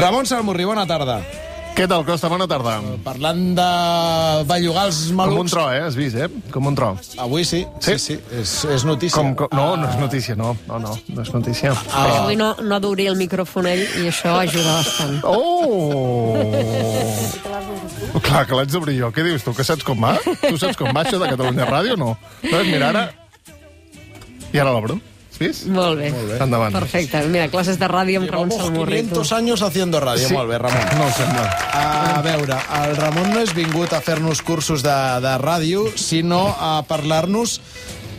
Ramon Salmurri, bona tarda. Què tal, Costa? Bona tarda. Parlant de bellugar els malucs... Com un tro, has vist, Com un tro. Avui sí. És notícia. No, no és notícia, no és notícia. Avui no d'obrir el micròfon ell i això ajuda bastant. Clar, que l'haig d'obrir jo. Què dius tu, que saps com va? Tu saps com va això de Catalunya Ràdio, no? Mira, ara... I ara l'obro. ¿Vis? Molt bé. Endavant. Perfecte. Mira, classes de ràdio amb Ramon Salmurri. 500 años haciendo radio. Sí. Molt bé, Ramon. No ho sembla. A veure, el Ramon no és vingut a fer-nos cursos de ràdio, sinó a parlar-nos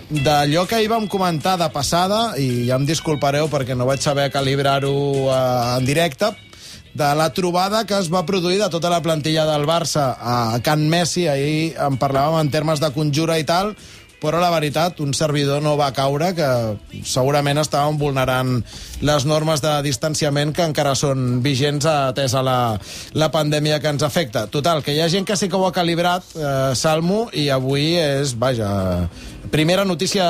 d'allò que ahir vam comentar de passada, i ja em disculpareu perquè no vaig saber calibrar-ho en directe, de la trobada que es va produir de tota la plantilla del Barça a Can Messi. Ahir en parlàvem en termes de conjura i tal, però la veritat, un servidor no va caure, que segurament estàvem vulnerant les normes de distanciament que encara són vigents atès a la pandèmia que ens afecta. Total, que hi ha gent que sí que ho ha calibrat, Salmo, i avui és, vaja, primera notícia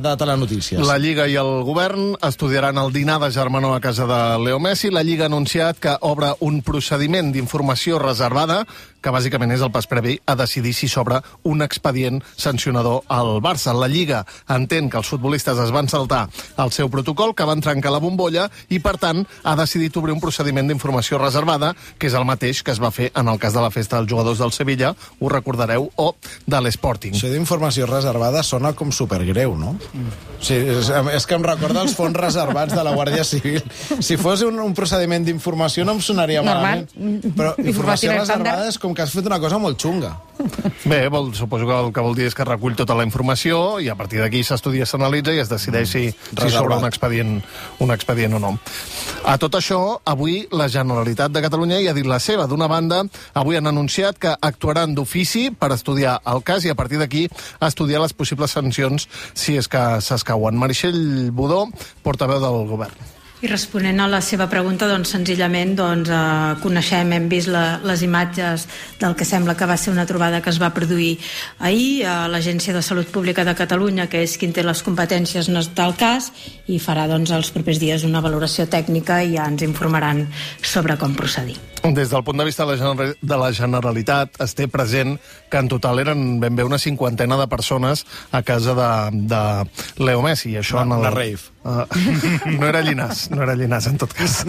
de Telenotícies. La Lliga i el govern estudiaran el dinar de germanor a casa de Leo Messi. La Lliga ha anunciat que obre un procediment d'informació reservada, que bàsicament és el pas previ a decidir si s'obre un expedient sancionador al Barça. La Lliga entén que els futbolistes es van saltar el seu protocol, que van trencar la bombolla, i per tant ha decidit obrir un procediment d'informació reservada, que és el mateix que es va fer en el cas de la festa dels jugadors del Sevilla, ho recordareu, o de l'Sporting. Això d'informació reservada sona com supergreu, no? Sí, és que em recorda els fons reservats de la Guàrdia Civil. Si fos un procediment d'informació no em sonaria malament. Però informació reservada és com que has fet una cosa molt xunga. Bé, suposo que el que vol dir és que recull tota la informació i a partir d'aquí s'estudia, s'analitza i es decideix si s'obre un expedient o no. A tot això, avui la Generalitat de Catalunya hi ha dit la seva. D'una banda, avui han anunciat que actuaran d'ofici per estudiar el cas i a partir d'aquí estudiar les possibles sancions si és que s'escauen. Meritxell Budó, portaveu del govern. I responent a la seva pregunta, senzillament coneixem, hem vist les imatges del que sembla que va ser una trobada que es va produir ahir a l'Agència de Salut Pública de Catalunya, que és qui té les competències en el cas, i farà els propers dies una valoració tècnica i ja ens informaran sobre com procedir. Des del punt de vista de la Generalitat, es té present que en total eren ben bé una 50ena de persones a casa de Leo Messi. Això una rave. No era Llinàs, en tot cas.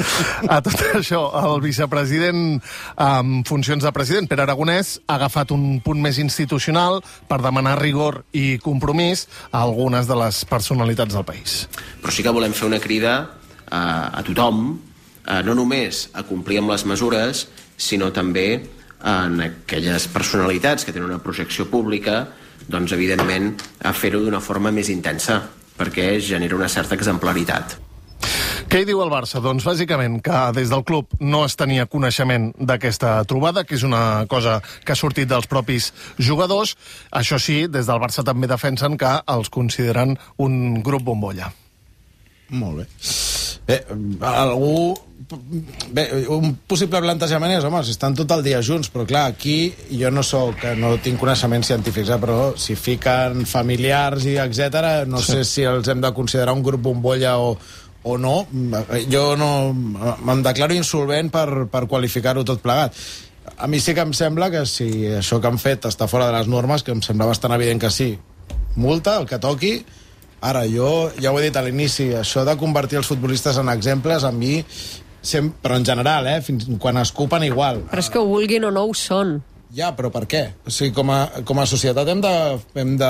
A tot això, el vicepresident en funcions de president, Pere Aragonès, ha agafat un punt més institucional per demanar rigor i compromís a algunes de les personalitats del país. Però sí que volem fer una crida a tothom, no només a complir amb les mesures, sinó també en aquelles personalitats que tenen una projecció pública, evidentment, a fer-ho d'una forma més intensa, perquè genera una certa exemplaritat. Què hi diu el Barça? Doncs bàsicament que des del club no es tenia coneixement d'aquesta trobada, que és una cosa que ha sortit dels propis jugadors. Això sí, des del Barça també defensen que els consideren un grup bombolla. Molt bé. Un possible plantejament és, home, si estan tot el dia junts, però clar, aquí jo no tinc coneixements científics, però si fiquen familiars i etc, no sé si els hem de considerar un grup bombolla o no. Jo no me'n declaro insolvent per qualificar-ho tot plegat. A mi sí que em sembla que si això que han fet està fora de les normes, que em sembla bastant evident que sí, multa, el que toqui. Ara, jo ja ho he dit a l'inici, això de convertir els futbolistes en exemples, a mi, però en general, fins quan es cupen igual. Però és que ho vulguin o no ho són. Ja, però per què? O sigui, com a societat hem de...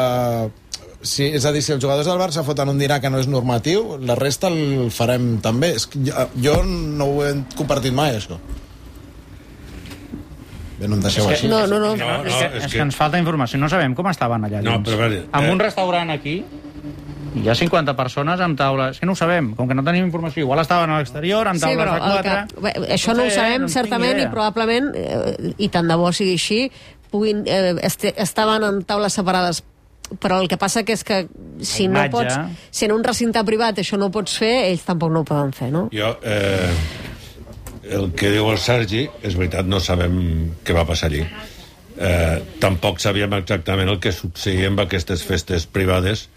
Sí, és a dir, si els jugadors del Barça foten un dinar que no és normatiu, la resta el farem també. És que jo no ho he compartit mai, això. Bé, no em deixeu així. No. És que ens falta informació, no sabem com estaven allà dins. En un restaurant aquí hi ha 50 persones amb taula. És que no ho sabem, com que no tenim informació. Igual estaven a l'exterior, amb taules de 4... Això no ho sabem, certament, i probablement, i tant de bo sigui així, estaven en taules separades. Però el que passa que és que si no pots... Si en un recinte privat això no ho pots fer, ells tampoc no ho poden fer, no? Jo... el que diu el Sergi, és veritat, no sabem què va passar allí. Tampoc sabíem exactament el que succeïa amb aquestes festes privades,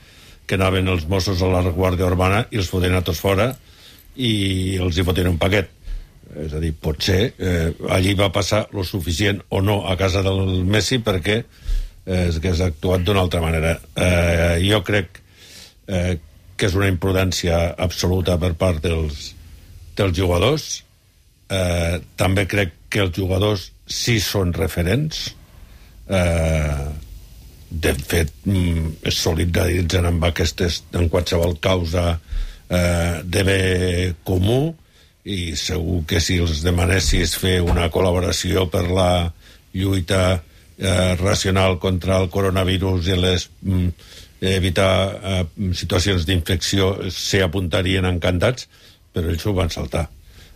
que anaven els Mossos a la Guàrdia Urbana i els foten a tots fora i els hi foten un paquet. És a dir, potser allí va passar lo suficient o no a casa del Messi perquè hagués actuat d'una altra manera. Jo crec que és una imprudència absoluta per part dels jugadors. També crec que els jugadors sí són referents. De fet, es solidaritzen amb aquestes, en qualsevol causa de bé comú, i segur que si els demanessis fer una col·laboració per la lluita racional contra el coronavirus i evitar situacions d'infecció s'hi apuntarien encantats, però ells ho van saltar.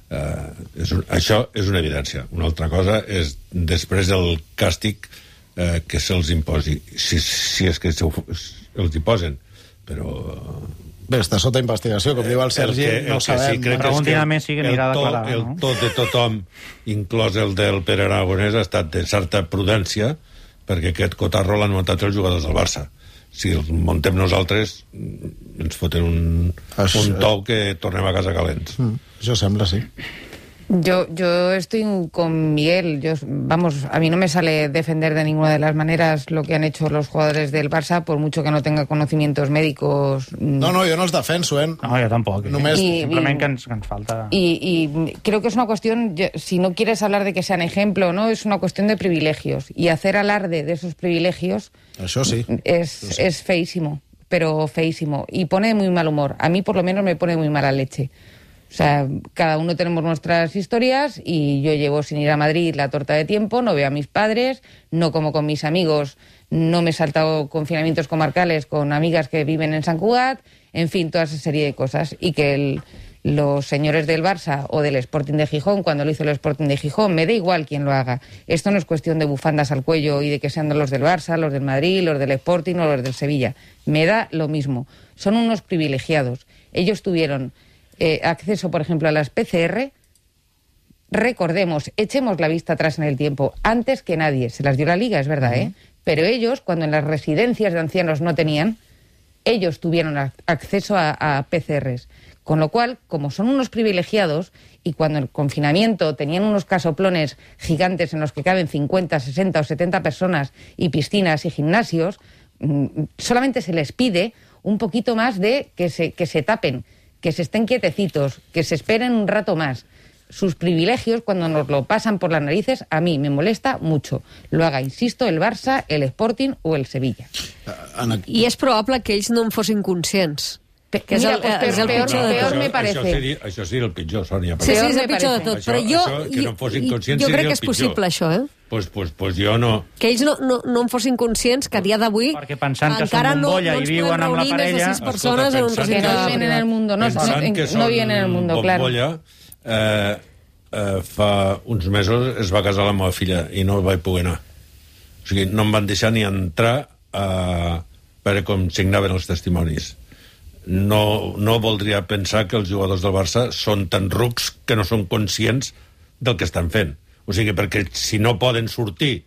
Això és una evidència. Una altra cosa és després el càstig que se'ls imposi, si és que els hi posen, però... Bé, està sota investigació, com diu el Sergi, no ho sabem. Preguntin a Messi que anirà a declarar. El tot de tothom, inclòs el del Pere Aragonès, ha estat de certa prudència, perquè aquest cotarro l'han muntat els jugadors del Barça. Si el muntem nosaltres, ens foten un tou que tornem a casa calents. Això sembla, sí. Yo estoy con Miguel. A mí no me sale defender de ninguna de las maneras lo que han hecho los jugadores del Barça, por mucho que no tenga conocimientos médicos. No, jo no els defenso, No, jo tampoc. Simplement que ens falta... Y creo que es una cuestión, si no quieres hablar de que sean ejemplo, ¿no? Es una cuestión de privilegios. Y hacer alarde de esos privilegios... Això sí. Es feísimo, pero feísimo. Y pone de muy mal humor. A mí, por lo menos, me pone muy mala leche. O sea, cada uno tenemos nuestras historias y yo llevo sin ir a Madrid la torta de tiempo, no veo a mis padres, no como con mis amigos, no me he saltado confinamientos comarcales con amigas que viven en Sant Cugat, en fin, toda esa serie de cosas. Y que los señores del Barça o del Sporting de Gijón, cuando lo hizo el Sporting de Gijón, me da igual quién lo haga. Esto no es cuestión de bufandas al cuello y de que sean los del Barça, los del Madrid, los del Sporting o los del Sevilla. Me da lo mismo. Son unos privilegiados. Ellos tuvieron... acceso, por ejemplo, a las PCR. Recordemos, echemos la vista atrás en el tiempo, antes que nadie, se las dio la Liga, es verdad, pero ellos, cuando en las residencias de ancianos no tenían, ellos tuvieron acceso a PCRs, con lo cual, como son unos privilegiados, y cuando en el confinamiento tenían unos casoplones gigantes en los que caben 50, 60 o 70 personas, y piscinas y gimnasios, solamente se les pide un poquito más de que se tapen, que se estén quietecitos, que se esperen un rato más. Sus privilegios, cuando nos lo pasan por las narices, a mí me molesta mucho. Lo haga, insisto, el Barça, el Sporting o el Sevilla. I és probable que ells no en fossin conscients. Que és el pitjor de tot. Me parece. Això seria el pitjor, Sònia. Sí, és el pitjor de tot. Però jo crec que és possible, això, Pues jo no. Que ells no en fossin conscients que a dia d'avui perquè pensant que són bombolla i viuen amb la parella... Escolta, que no viven en el mundo, no viven en el mundo, claro. Fa uns mesos es va casar la meva filla i no vaig poder anar. O sigui, no em van deixar ni entrar a veure com signaven els testimonis. No voldria pensar que els jugadors del Barça són tan rucs que no són conscients del que estan fent. O sigui, perquè si no poden sortir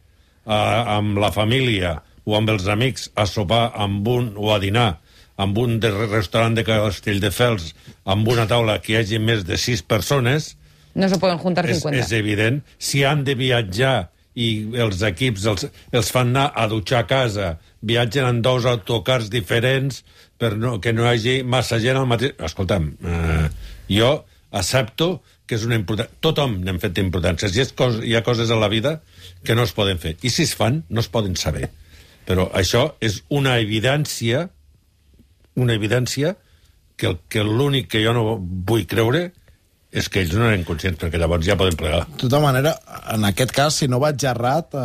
amb la família o amb els amics a sopar o a dinar amb un restaurant de Castelldefels amb una taula que hi hagi més de 6 persones, no se poden juntar 50. És evident. Si han de viatjar i els equips els fan anar a dutxar a casa, viatgen en 2 autocars diferents per que no hi hagi massa gent al mateix... Escolta'm, jo accepto que és una importància. Tothom n'hem fet importàncies. Hi ha coses a la vida que no es poden fer. I si es fan, no es poden saber. Però això és una evidència que l'únic que jo no vull creure és que ells no eren conscients, perquè llavors ja poden plegar. De tota manera, en aquest cas, si no vaig errat,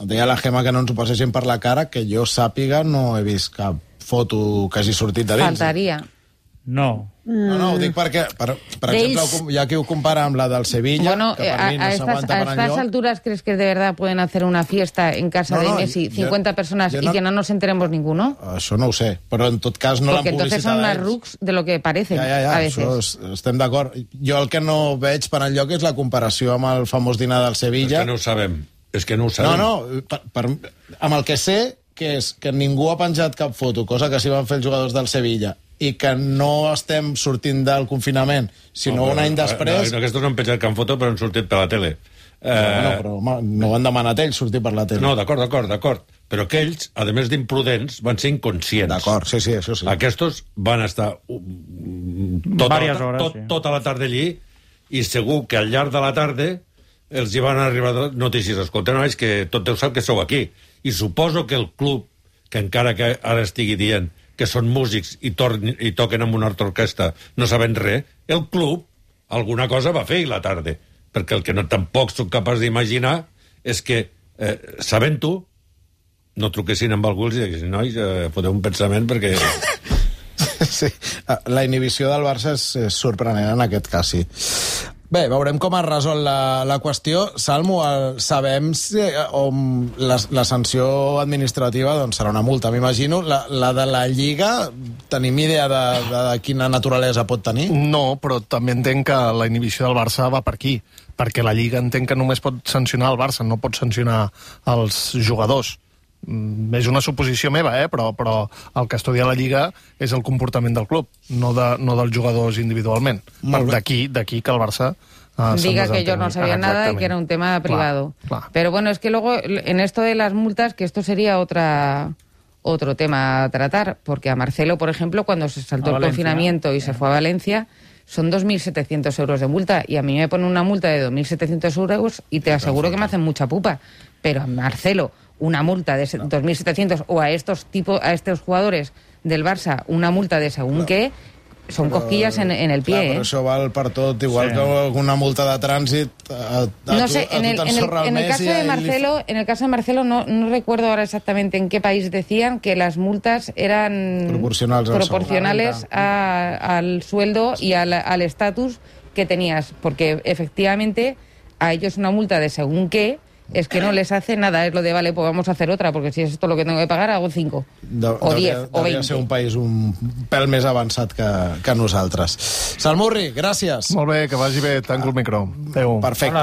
deia la Gemma que no ens ho passessin per la cara, que jo sàpiga no he vist cap foto que hagi sortit de dins. Faltaria. No. No, ho dic perquè, per exemple, hi ha qui ho compara amb la del Sevilla, bueno, que per mi no s'aguanta per enlloc. ¿A estas alturas crees que de verdad pueden hacer una fiesta en casa de Messi, 50 personas, y que no nos enteremos ninguno? Això no ho sé, però en tot cas no l'han publicitat. Porque entonces son más rucs de lo que parecen, a veces. Això estem d'acord. Jo el que no veig per enlloc és la comparació amb el famós dinar del Sevilla. És que no ho sabem. És que no ho sabem. Amb el que sé, que és que ningú ha penjat cap foto, cosa que sí van fer els jugadors del Sevilla, i que no estem sortint del confinament, sinó un any després... Aquests no han penjat cap foto, però han sortit per la tele. Però no ho han demanat ells, sortir per la tele. No, d'acord. Però aquells, a més d'imprudents, van ser inconscients. D'acord, sí, això sí. Aquests van estar tota la tarda allí i segur que al llarg de la tarda els hi van arribar notícies. Escolta, nois, que tot Déu sap que sou aquí. I suposo que el club, que encara que ara estigui dient que són músics i toquen amb una altra orquestra no sabent res, el club alguna cosa va fer a la tarda. Perquè el que tampoc soc capaç d'imaginar és que, sabent-ho, no truquessin amb algú i diguessin, nois, foteu un pensament perquè... Sí, la inhibició del Barça és sorprenent en aquest cas, sí. Bé, veurem com es resol la qüestió. Salmo, sabem si la sanció administrativa doncs, serà una multa, m'imagino. La de la Lliga, tenim idea de quina naturalesa pot tenir? No, però també entenc que la inhibició del Barça va per aquí, perquè la Lliga entenc que només pot sancionar el Barça, no pot sancionar els jugadors. És una suposició meva, però el que estudia la Lliga és el comportament del club, no dels jugadors individualment. D'aquí que el Barça... Diga que yo no sabía nada y que era un tema privado. Claro. Pero bueno, es que luego, en esto de las multas, que esto sería otro tema a tratar, porque a Marcelo, por ejemplo, cuando se saltó el confinamiento y se fue a Valencia, son 2.700 euros de multa, y a mí me ponen una multa de 2.700 euros y te aseguro que me hacen mucha pupa. Pero a Marcelo, una multa de 2.700, o a estos jugadores del Barça, una multa de según qué, són cosquillas en el pie. Clar, però això val per tot, igual que una multa de trànsit no sé, en el caso de Marcelo no recuerdo ahora exactamente en qué país decían que las multas eran proporcionales al sueldo y al estatus que tenías, porque efectivamente a ellos una multa de según qué es que no les hace nada, es lo de, vale, pues vamos a hacer otra, porque si es esto lo que tengo que pagar, hago 5, o 10, o 20. Devia ser un país un pèl més avançat que nosaltres. Salmurri, gràcies. Molt bé, que vagi bé, tanco el micro. Adéu. Perfecte.